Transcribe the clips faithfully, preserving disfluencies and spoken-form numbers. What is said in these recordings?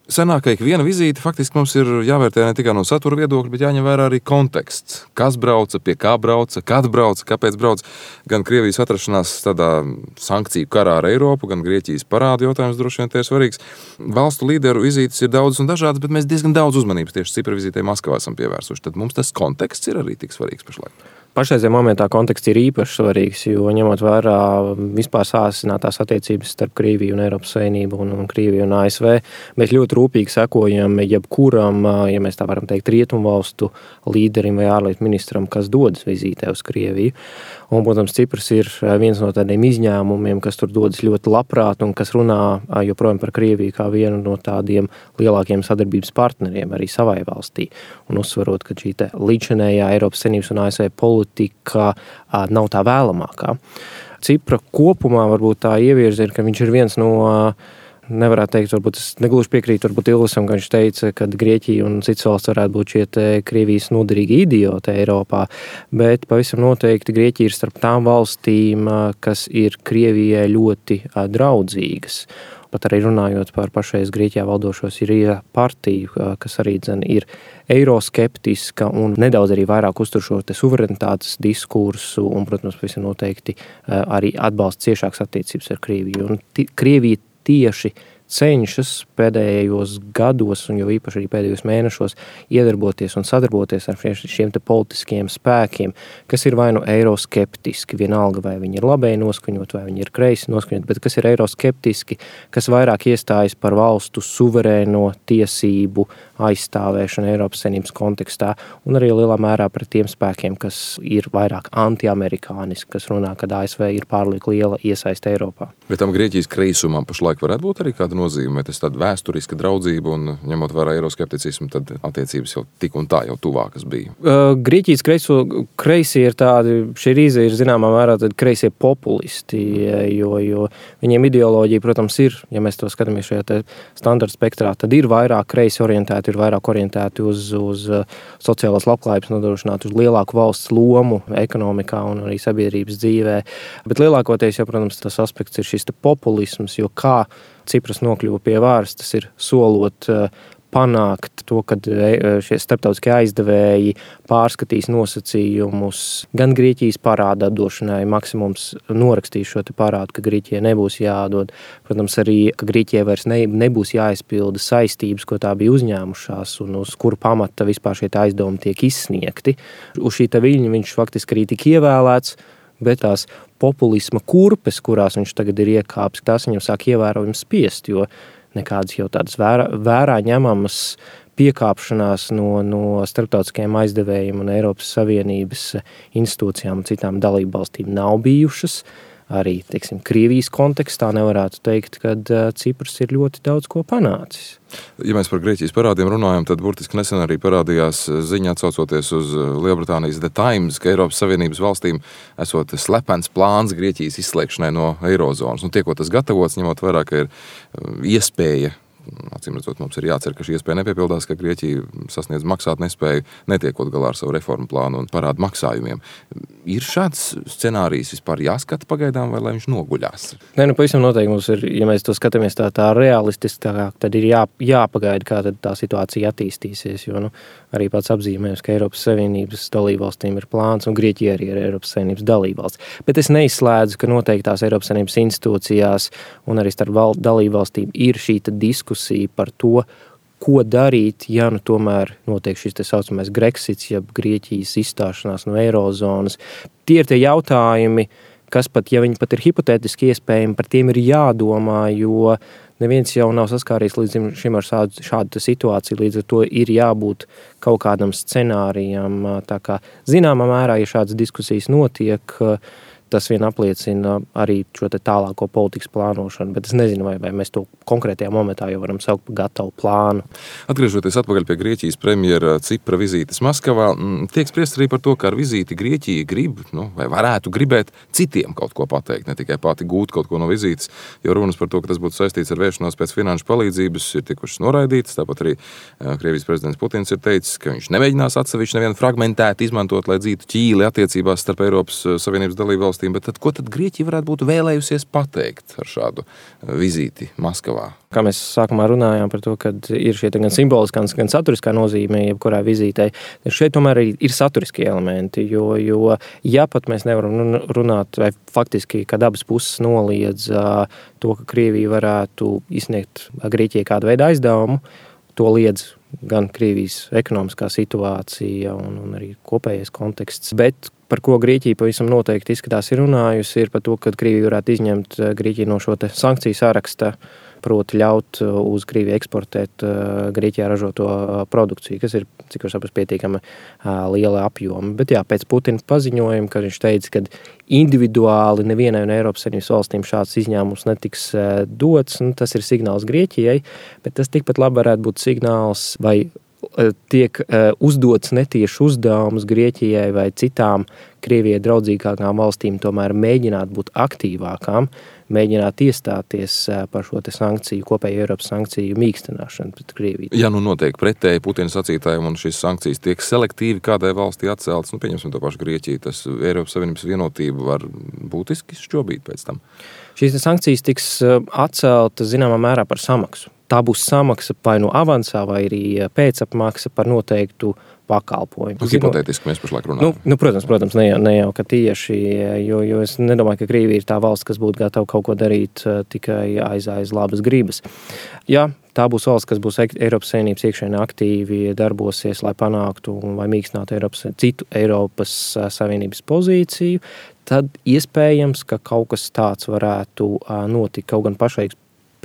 Sanāk, ka ikviena vizīte faktiski mums ir jāvērtē ne tikai no satura viedokļa, bet jāņem vērā arī konteksts. Kas brauca, pie kā brauca, kad brauca, kāpēc brauca. Gan Krievijas atrašanās tādā sankciju karā ar Eiropu, gan Grieķijas parādu jautājums droši vien te ir svarīgs. Valstu līderu vizītes ir daudz un dažādas, bet mēs diezgan daudz uzmanības tieši Cipra vizītei Maskavā esam pievērsuši. Tad mums tas konteksts ir arī tik svarīgs pašlaik. Pašreizajā momentā konteksts ir īpaši svarīgs, jo ņemot vērā vispār sāsinātās attiecības starp Krieviju un Eiropas Savienību un, un Krieviju un A S V, mēs ļoti rūpīgi sekojam jebkuram, ja mēs tā varam teikt, rietumvalstu līderim vai ārlietu ministram, kas dodas vizītē uz Krieviju. Un, protams, Cipras ir viens no tādiem izņēmumiem, kas tur dodas ļoti labprāt un kas runā joprojām par Krieviju kā vienu no tādiem lielākiem sadarbības partneriem arī savai valstī. Un uzsvarot, ka šī te līdzinējā Eiropas Savienības un A S V politika nav tā vēlamākā. Cipra kopumā varbūt tā ievirza ir, ka viņš ir viens no, nevarētu teikt, varbūt es negluži piekrītu, varbūt Ilvesam, ka viņš teica, ka Grieķija un citas valsts varētu būt šie te Krievijas noderīgi idioti Eiropā, bet pavisam noteikti Grieķija ir starp tām valstīm, kas ir Krievijai ļoti draudzīgas. Pat arī runājot par pašreiz Grieķijā valdošo Sirija partiju, kas arī dzen ir eiroskeptiska un nedaudz arī vairāk uztur šo te suverenitātes diskursu un, protams, pavisam noteikti arī atbalsta ciešākas attiecības ar Krieviju. Un t- Krievija tieši cenšas pēdējos gados un jau īpaši arī pēdējos mēnešos iedarboties un sadarboties ar šiem te politiskiem spēkiem, kas ir vai nu eiroskeptiski, vienalga vai viņi ir labēji noskaņot, vai viņi ir kreisi noskaņot, bet kas ir eiroskeptiski, kas vairāk iestājas par valstu suverēno tiesību aizstāvēšanu Eiropas Savienības kontekstā un arī lielā mērā pret tiem spēkiem, kas ir vairāk antiamerikāniski, kas runā, ka A S V ir pārlieku liela iesaiste Eiropā. Bet tam Grieķijas kreisumam pašlaik varētu būt arī kāda nozīme, vai tas tāda vēsturiska draudzība un ņemot vērā eiroskepticismu, tad attiecības jau tik un tā jau tuvākas bija. Uh, Grieķijas kreiso, kreisi ir tādi, šī rīze ir zināmā mērā tādi kreisie populisti, jo, jo viņiem ideoloģija, protams, ir, ja mēs to skatāmies šajā te standarta spektrā, tad ir vairāk kreisi orientēti, ir vairāk orientēti uz, uz sociālās labklājības nodrošināt, uz lielāku valsts lomu ekonomikā un arī sabiedrības dzīvē. Bet lielākoties, ja, protams, tas aspekts ir šis te populisms, jo kā Cipras nokļuva pie vāras, tas ir solot panākt to, kad šie starptautiskie aizdevēji pārskatīs nosacījumus gan Grieķijas parāda atdošanai, maksimums norakstīs šo te parādu, ka Grieķijai nebūs jāatdod. Protams, arī, ka Grieķijai vairs ne, nebūs jāizpilda saistības, ko tā bija uzņēmušās un uz kuru pamata vispār šie aizdevumi tiek izsniegti. Uz šī te viļņa viņš faktiski arī tika ievēlēts, bet tās populisma kurpes, kurās viņš tagad ir iekāpis, tās viņam sāk ievērojami spiest, jo nekādas jau tādas vērā, vērā ņemamas piekāpšanās no, no starptautiskajiem aizdevējiem un Eiropas Savienības institūcijām un citām dalību valstīm nav bijušas. Arī, teiksim, Krievijas kontekstā nevarētu teikt, ka Cipras ir ļoti daudz ko panācis. Ja mēs par Grieķijas parādiem runājam, tad burtiski nesen arī parādījās ziņa atsaucoties uz Lielbritānijas The Times, ka Eiropas Savienības valstīm esot slepens plāns Grieķijas izslēgšanai no eirozonas. Un tiekot tas gatavots, ņemot vērā, ka ir iespēja, acīm redzot, mums ir jācer, ka šī iespēja nepiepildās, ka Grieķija sasniedz maksāt nespēju, netiekot galā ar savu reformu plānu un parādu maksājumiem. Ir šāds scenārijs vispār jāskata pagaidām, vai lai viņš noguļās? Nē, nu pavisam noteikti mums ir, ja mēs to skatāmies tā, tā realistiskāk, tad ir jā, jāpagaida, kā tad tā situācija attīstīsies, jo nu, arī pats apzīmējums, ka Eiropas Savienības dalībvalstīm ir plāns un Grieķija arī ir Eiropas Savienības dalībvalsts. Bet es neizslēdzu, ka noteiktās Eiropas Savienības institūcijās un arī starp val, dalībvalstīm ir šī diskusija par to, ko darīt, ja nu tomēr notiek šis te saucamais Grexits, ja Grieķijas izstāšanās no eirozonas. Tie ir tie jautājumi, kas pat, ja viņi pat ir hipotētiski iespējami, par tiem ir jādomā, jo neviens jau nav saskāries līdz šim ar šādu, šādu situāciju, līdz ar to ir jābūt kaut kādam scenārijam. Tā kā zināmā mērā, ja šādas diskusijas notiek, tas vien apliecina arī šo te tālāko politikas plānošanu, bet es nezinu, vai, vai mēs to konkrētajā momentā jau varam saukt par gatavu plānu. Atgriežoties atpakaļ pie Grieķijas premjera Cipra vizītes Maskavā, tiek spriest arī par to, ka ar vizīti Grieķija grib, nu, vai varētu gribēt citiem kaut ko pateikt, ne tikai pati gūt kaut ko no vizītes, jo runas par to, ka tas būtu saistīts ar vēršanos pēc finanšu palīdzības, ir tikušas noraidītas. Tāpat arī Krievijas prezidents Putins ir teicis, ka viņš nemēģinās atsevišķi nevienu fragmentēt izmantot, lai dzītu ķīli attiecībās starp Eiropas Savienības dalībvalstīm valstīm, bet tad, ko tad Grieķija varētu būt vēlējusies pateikt ar šādu vizīti Maskavā? Kā mēs sākumā runājām par to, ka ir šie gan simboliskā, gan saturiskā nozīme, jebkurā vizītei, šeit tomēr ir saturiskie elementi, jo, jo ja pat mēs nevaram runāt, vai faktiski, kad abas puses noliedz to, ka Krievija varētu izsniegt Grieķijai kādu veidu aizdevumu, to liedz gan Krievijas ekonomiskā situācija un, un arī kopējais konteksts, bet par ko Grieķija pavisam noteikti izskatās ir runājusi, ir par to, ka Krievija varētu izņemt Grieķiju no šo te sankciju saraksta, proti ļaut uz Krieviju eksportēt Grieķijā ražoto produkciju, kas ir, cik var saprast, pietiekami liela apjoma. Bet jā, pēc Putina paziņojuma, kad viņš teica, ka individuāli nevienai no Eiropas Savienības valstīm šāds izņēmums netiks dots, nu, tas ir signāls Grieķijai, bet tas tikpat labi varētu būt signāls, vai tiek uzdots netieši uzdevums Grieķijai vai citām Krievijai draudzīgākām valstīm tomēr mēģināt būt aktīvākām, mēģināt iestāties par šo te sankciju, kopēju Eiropas sankciju mīkstināšanu pret Krieviju. Ja nu notiek pretēji Putina sacītājiem un šīs sankcijas tiek selektīvi kādai valstī atceltas, nu pieņemsim to pašu Grieķiju, tas Eiropas Savienības vienotība var būtiski šķobīt pēc tam. Šīs sankcijas tiks atceltas zināmā mērā par samaksu. Tā būs samaksa vai no avansā, vai arī pēcapmaksa par noteiktu pakalpojumu. Nu, hipotētiski mēs pašlaik runājam. Nu, nu, protams, protams, ne jau, ne jau ka tieši, jo, jo es nedomāju, ka Krievija ir tā valsts, kas būtu gatava kaut ko darīt tikai aiz, aiz labas gribas. Jā, tā būs valsts, kas būs Eiropas Savienības iekšēnē aktīvi darbosies, lai panāktu vai mīkstinātu Eiropas, citu Eiropas Savienības pozīciju, tad iespējams, ka kaut kas tāds varētu notikt, kaut gan pašai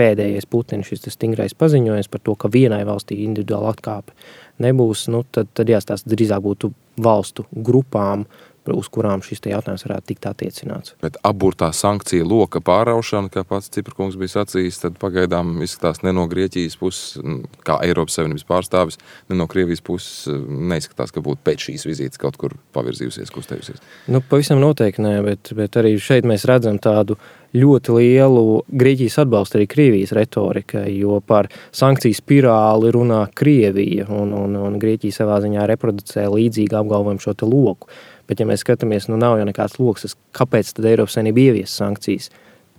pēdējais Putina šis stingrais paziņojums par to, ka vienai valstī individuāli atkāpe nebūs, nu, tad, tad jāstāsta drīzāk būtu valstu grupām, uz kurām šis te jautājums varētu tikt attiecināts. Bet aburtā sankcija loka pāraušana, kā pats Ciprkungs bija sacījis, tad pagaidām izskatās ne no Grieķijas puses, kā Eiropas Savienības pārstāvis, ne no Krievijas puses neizskatās, ka būtu pēc šīs vizītes kaut kur pavirzījusies, kustējusies. Nu, pavisam noteikti nē, bet, bet arī šeit mēs redzam tādu ļoti lielu Grieķijas atbalstu arī Krievijas retorikai, jo par sankciju spirāli runā Krievija, un, un, un Grieķija savā ziņā reproducē līdzīgi apgalvojumu šo te loku. Bet, ja mēs skatāmies, nu nav jau nekāds loks, kāpēc tad Eiropas Savienība ievies sankcijas?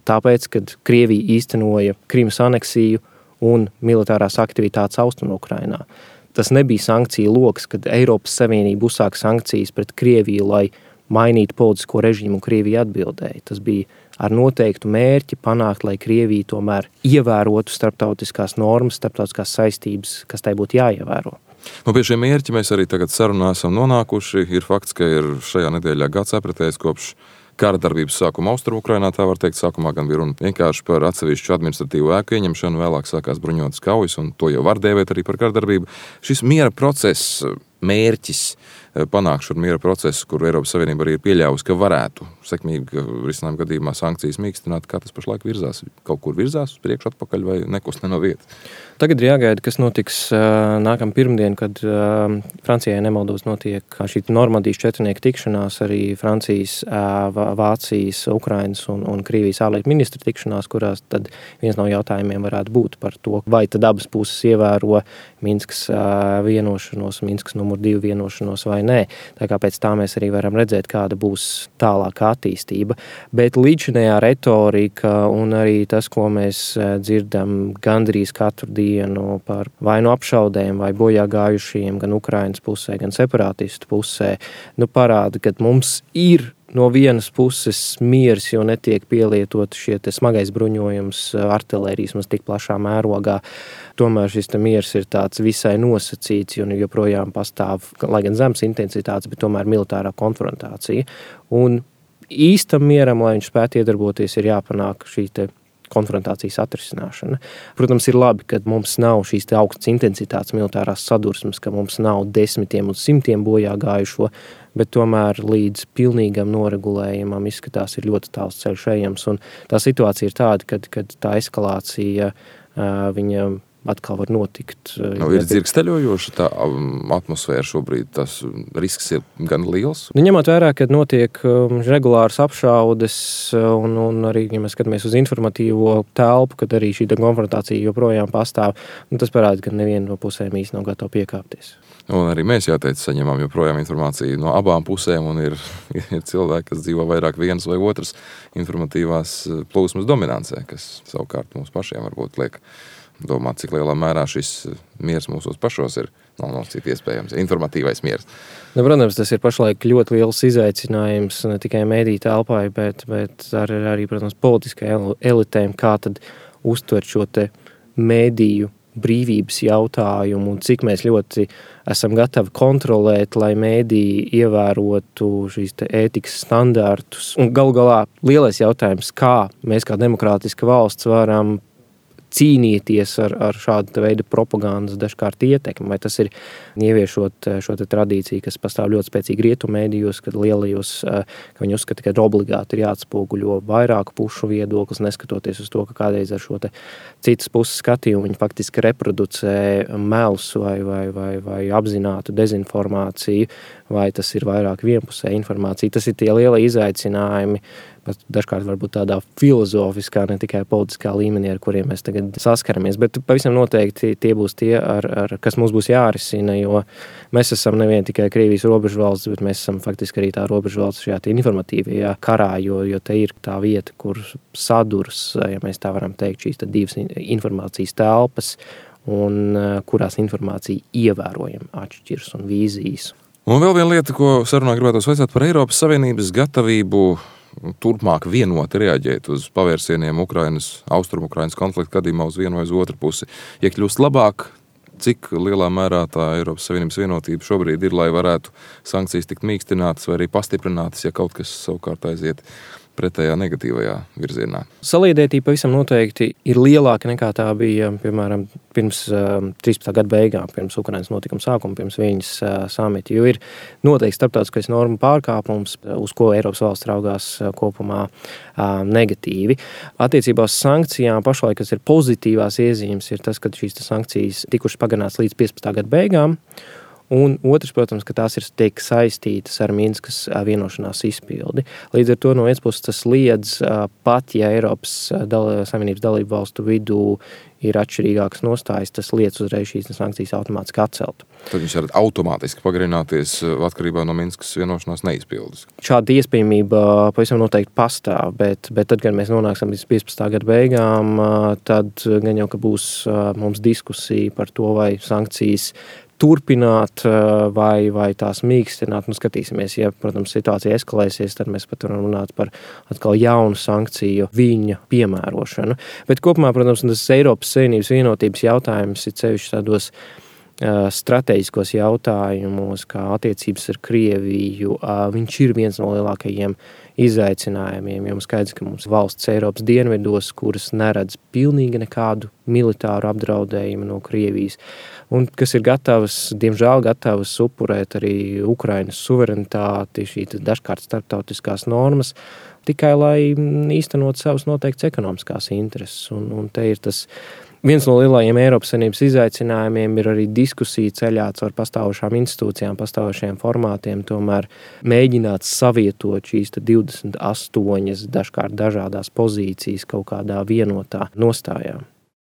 Tāpēc, kad Krievija īstenoja Krimas aneksiju un militārās aktivitātes Austrumu Ukrainā. Tas nebija sankcija loks, kad Eiropas Savienība uzsāka sankcijas pret Krieviju, lai mainītu politisko režīmu, un Krievija atbildēja. Tas bija ar noteiktu mērķi panākt, lai Krievija tomēr ievērotu starptautiskās normas, starptautiskās saistības, kas tai būtu jāievēro. Nu, pie šiem mērķi mēs arī tagad sarunā esam nonākuši. Ir fakts, ka ir šajā nedēļā gads apritējis kopš kara darbības sākuma Austrumu Ukrainā, tā var teikt, sākumā gan bija runa vienkārši par atsevišķu administratīvu ēku ieņemšanu, vēlāk sākās bruņotas kaujas, un to jau var dēvēt arī par kara darbību. Šis miera process, mērķis, panākšu ar miera procesu, kur Eiropas Savienība arī ir pieļāvusi, ka varētu sekmīgi risinājuma gadījumā sankcijas mīkstināt, kā tas pašlaik virzās, kaut kur virzās uz priekšu atpakaļ vai nekust ne no vietas. Tagad ir jāgaida, kas notiks nākam pirmdien, kad Francijai nemaldos notiek šī Normandijas četrnieku tikšanās, arī Francijas, Vācijas, Ukrainas un, un Krievijas ārlietu ministru tikšanās, kurās tad viens no jautājumiem varētu būt par to, vai tad abas puses ievēro Minskas vienošanos, Minskas numur divi vienošanos vai nē. Tā kā pēc tā mēs arī varam redzēt, kāda būs tālākā attīstība. Bet līdzinējā retorika un arī tas, ko mēs dzirdam gandrīz katru dienu par vai nu apšaudēm, vai bojā gājušiem gan Ukrainas pusē, gan separātistu pusē, nu parāda, ka mums ir no vienas puses miers, jo netiek pielietot šie te smagais bruņojums, artilērijas mums tik plašā mērogā. Tomēr šis te miers ir tāds visai nosacīts, jo joprojām pastāv, lai gan zemes intensitātes, bet tomēr militārā konfrontācija. Un īstam mieram, lai viņš spētu iedarboties, ir jāpanāk šī te konfrontācijas atrisināšana. Protams, ir labi, ka mums nav šīs te augstas intensitātes militārās sadursmes, ka mums nav desmitiem un simtiem bojā gājušo, bet tomēr līdz pilnīgam noregulējumam izskatās ir ļoti tāls ceļš ejams. Un tā situācija ir tāda, kad, kad tā eskalācija viņa atkal var notikt. Nu, ir dzirksteļojoša tā atmosfēra šobrīd, tas risks ir gan liels. Nu, ņemot vērā, ka notiek regulāras apšaudes un, un arī, ja mēs skatāmies uz informatīvo telpu, kad arī šī konfrontācija joprojām pastāv, nu, tas parāda, ka neviena no pusēm īsti nav gatava piekāpties. Un arī mēs, jāteic, saņemam joprojām informāciju no abām pusēm, un ir, ir cilvēki, kas dzīvo vairāk vienas vai otras informatīvās plūsmas dominancē, kas savukārt mums pašiem varbūt liek domāt, cik lielā mērā šis miers mūsos pašos ir. Nav no cik iespējams, informatīvais miers. Nu, protams, tas ir pašlaik ļoti liels izaicinājums ne tikai mediju telpai, bet, bet arī, arī, protams, politiskai elitēm, kā tad uztvert šo te mediju brīvības jautājumu un cik mēs ļoti esam gatavi kontrolēt, lai mēdī ievērotu šīs te ētikas standartus. Un galu galā lielais jautājums, kā mēs kā demokrātiska valsts varam cīnīties ar, ar šādu veidu propagandas dažkārt ietekmi, vai tas ir ieviešot šo te tradīciju, kas pastāv ļoti spēcīgi rietumu mēdījos, kad lielajos, ka viņi uzskata, ka obligāti ir jāatspoguļo vairāku pušu viedoklis, neskatoties uz to, ka kādreiz ar šo te citas puses skatījumu viņi faktiski reproducē melus vai, vai, vai, vai apzinātu dezinformāciju, vai tas ir vairāk vienpusē informācija. Tas ir tie lielie izaicinājumi, bet dažkārt varbūt tādā filozofiskā, ne tikai politiskā līmenī, ar kuriem mēs tagad saskaramies. Bet pavisam noteikti tie būs tie, ar, ar, kas mums būs jārisina, jo mēs esam nevien tikai Krievijas robežu valsts, bet mēs esam faktiski arī tā robežu valsts šajā informatīvajā karā, jo, jo te ir tā vieta, kur sadurs, ja mēs tā varam teikt, šīs divas informācijas telpas, un kurās informācija ievērojami atšķiras un vīzijas. Un vēl viena lieta, ko sarunā gribētos vaicāt par Eiropas Savienības gatavību turpmāk vienoti reaģēt uz pavērsieniem Ukrainas, Austrumu-Ukrainas konflikta gadījumā uz vienu vai uz otru pusi. Ja kļūst labāk, cik lielā mērā tā Eiropas Savienības vienotība šobrīd ir, lai varētu sankcijas tikt mīkstinātas vai arī pastiprinātas, ja kaut kas savukārt aiziet pretējā negatīvajā virzienā. Saliedētība pavisam noteikti ir lielāka nekā tā bija, piemēram, pirms uh, trīspadsmitā gada beigām, pirms Ukrainas notikuma sākuma, pirms viņas uh, samita, jo ir noteikti starptautiskais normu pārkāpums, uz ko Eiropas valsts raugās uh, kopumā uh, negatīvi. Attiecībā uz sankcijām pašlaik, kas ir pozitīvās iezīmes, ir tas, ka šīs sankcijas tikušas pagarināts līdz piecpadsmitā gada beigām. Un otrs, protams, ka tās ir tiek saistītas ar Minskas vienošanās izpildi. Līdz ar to no vienas puses tas liedz, pat ja Eiropas dal- Savienības dalību valstu vidū ir atšķirīgākas nostājas, tas liedz uzreiz šīs sankcijas automātiski atcelt. Tad viņš var automātiski pagarināties atkarībā no Minskas vienošanās neizpildes. Šāda iespējamība pavisam noteikti pastāv, bet, bet tad, kad mēs nonāksim līdz piecpadsmitā gada beigām, tad gan jau, ka būs mums diskusija par to, vai sankcijas turpināt vai, vai tās mīkstināt. Nu, skatīsimies, ja, protams, situācija eskalēsies, tad mēs pat varam runāt par atkal jaunu sankciju viņa piemērošanu. Bet kopumā, protams, tas Eiropas Savienības vienotības jautājums ir sevišķi tādos strateģiskos jautājumos, kā attiecības ar Krieviju. Viņš ir viens no lielākajiem izaicinājumiem, jo skaidrs, ka mums valsts Eiropas dienvidos, kuras neredz pilnīgi nekādu militāru apdraudējumu no Krievijas, un kas ir gatavas, diemžēl gatavas upurēt arī Ukrainas suverenitāti, šī dažkārt starptautiskās normas, tikai lai īstenot savas noteiktas ekonomiskās intereses. Un, un te ir tas viens no lielajiem Eiropas Savienības izaicinājumiem ir arī diskusija ceļā caur pastāvošām institūcijām, pastāvošiem formātiem, tomēr mēģināt savietot šīs divdesmit astoņas dažkārt dažādās pozīcijas kaut kādā vienotā nostājā.